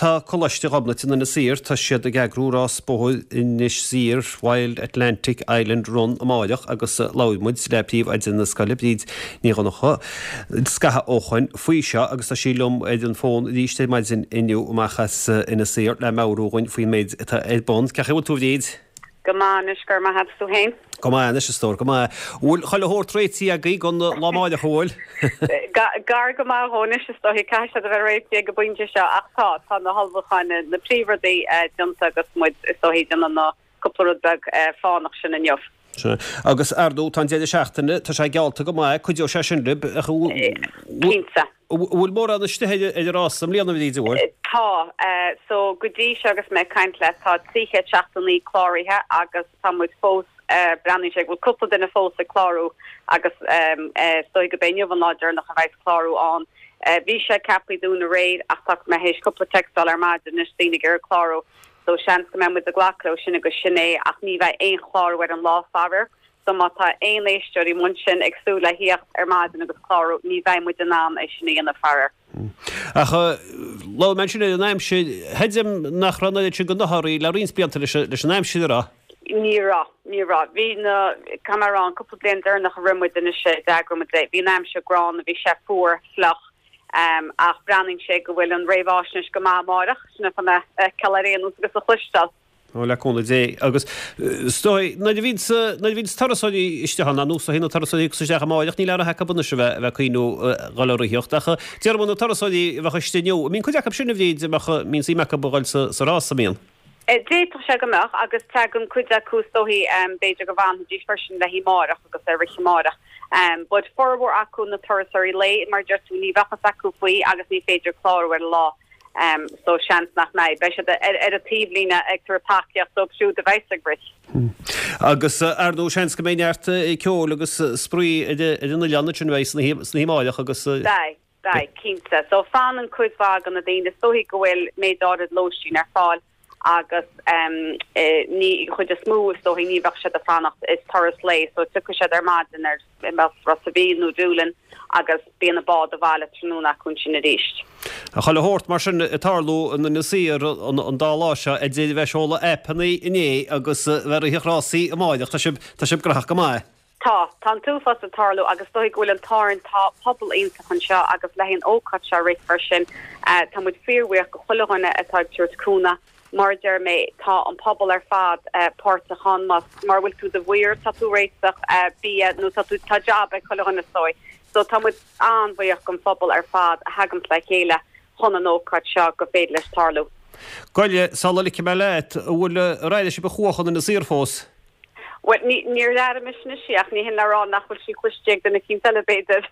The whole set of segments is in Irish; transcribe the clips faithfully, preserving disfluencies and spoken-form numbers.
tá Coláiste Ghobnait in Inis Oírr, tá siad ag eagrú rás bóthair Inis Oírr Wild Atlantic Island Run amáireach agus labhair muid le príomhoide na scoile Bríd Ní Dhonncha scaitheamh ó shoin faoi seo agus tá sí liom ar an bhfón arís ar maidin inniu amach as Inis Oírr le meabhrú dhúinn faoin méid atá ar bun. Cén chaoi a bhfuil tú Bríd? Go maith anois go raibh maith agat tú féin. Go maith anois a stór, go maith. Bhfuil chuile shórt réitithe agaibh don lá amáireach an bhfuil? Gar go maith dhó anois is dóichí caithfidh sé a bheith réitithe ag an bpointe seo ach tá tá na hullmhúcháin na príomhrudaí déanta agus muid is dóichí déanamh na cúpla rud beag fánach sin inniu. Agus ar ndóigh tá an deireadh seachtaine tá sé geallta go maith cuideoidh sé sin libh Cinnte. bhfuil mórán istigh ar an rás i mbliana Bhríd an bhfuil? Tá so go dtí seo agus mé ag caint leat tá trí chéad seachtó naoi cláraithe agus tá muid fós breathnaíonn sé go bhfuil cúpla duine fós ag clárú agus is dóigh go mbeidh inniu an lá deireanach a bheidh clárú ann. Bhí sé ceaptha dúinn aréir ach tá mé théis cúpla text a fháil ar maidin anois daoine ag iarraidh clárú so seans go mbeidh muid ag glacadh leo sin agus sin é ach ní bheidh aon chlárú ar an lá faraor. So má tá aon éisteoirí mar sin ag súil le theacht ar maidin agus clárú ní bheidh muid in ann é sin a dhéanamh faraor. Ach lá man sin an aimsir chreidim nach raibh an sin go nothaí le roinnt blianta leis an aimsir rá. Ní raibh ní raibh bhí na camarán cúpla bliain deireanach a rinne muid anois d'eagraigh muid é bhí an aimsir gránna bhí sé fuar fliuch um, ach breathnaíonn sé go bhfuil an réamhaisnéis go maith amárach sin fa me cealéanú agus a chloisteáil. ó le cúnamh Dé agus stoi na bhín na bhín turasóirí isteach ann nó na turasóirí isteach amáireach ní le hecha buna se bheith bheith cuioú gaileríocht ach deir na turasóirí bheith istigh inniu. Mbíonn cuid acu sin a Bhríd mbíonn suim acu a dhul sa sa rás an mbíonn. D'fhéadfadh sé go mbeadh agus tagann cuid acu is dóichí b'fhéidir go bhfanfaidís freisin le haghaidh amárach agus ar rith amárach. Um, but formhór acu na turasóirí lae mar deir tú ní bheadh fhios acu faoi agus ní féidir clárú ar an lá. Um, so seans nach mbeidh beidh siad ar ar a taobhlíne ag tabhairt tacaíocht dóibh siúd a bheidh ag rith. Agus ar ndóigh seans go mbeidh neart ceol agus spraoi ar an oileán sin bheidh sna hímáileach agus Beidh beidh cinnte. So fanann cuid mhaith de na daoine is dóichí go bhfuil méid áirid lóistín ar fáil agus um, e, ní chuid is mó is dóichí ní bheadh siad ag fanacht is turas lae, so tiocfaidh siad ar maidin ar Ros a' Mhíl nó Doolin agus bíonn a bád abhaile tráthnóna acu sin arís. A chuile shórt mar sin ag tarlú in Inis Oírr an dá lá seo idir bheith seoladh aipeanna inné agus bheith rith rásaí amáireach tá sibh tá sibh gnóthach go maith. Tá tá an t-uafás ag tarlú agus dóigh go bhfuil an táin tá pobal iontach anseo agus le an ócáid seo rithfear sin uh, tá muid fíorbhuíoch go chuile dhuine atá ag tabhairt cúnamh mar deir mé tá an pobal ar fad uh, páirteach ann mas mar bhfuil tú do mhaor tá tú réiteach uh, bia nó tá tú tá job ag chuile dhuine sói. So tá muid an-bhuíoch an phobal ar fad a thagann le chéile chun an ócáid seo go féidir leis tarlú. Goile sula ligfidh mé leat bhfuil raide si be chuachan na saorfós. Well níor airigh mise í ach ní hin le rá nach bhfuil sí cloiste ag duine éicint eile b'fhéidir.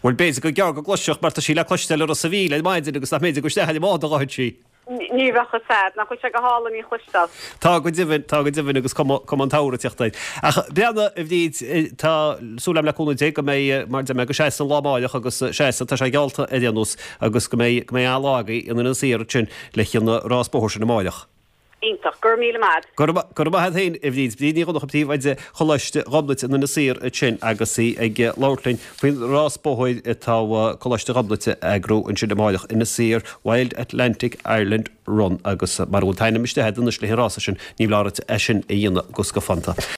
Bhuel b'fhéidir go gearr go gcloisfeadh mar tá sí le cloisteáil ar Ros a' Mhíl ar maidin agus nach mb'fhéidir go isteach i mbád a ghabhann sí. Ní bheadh a fhios nach bhfuil sé go hálainn í a chloisteáil. Tá go deimhin tá go deimhin agus cum an t-amhrán Ach breana a Bhríd tá súil agam le cúnamh Dé go mbeidh mar de go sé an lá amárach agus sé tá sé geallta ar aon nós agus go mbeidh go mbeidh an lá agaibh in Inis Oírr sin le an rás bóthair sin amárach. Iontach gur míle maith. Gur maith féin a Bhríd Bríd Ní Dhonncha príomhoide Choláiste Ghobnait in Inis Oírr sin agus í ag labhairt linn faoin rás bóthair atá Coláiste Ghobnait a eagrú ansin amárach Inis Oírr Wild Atlantic Ireland Run agus mar bhfuil t-ainm istigh anois leis an rás sin ní bhláirt é sin a dhéanamh gus go fanta.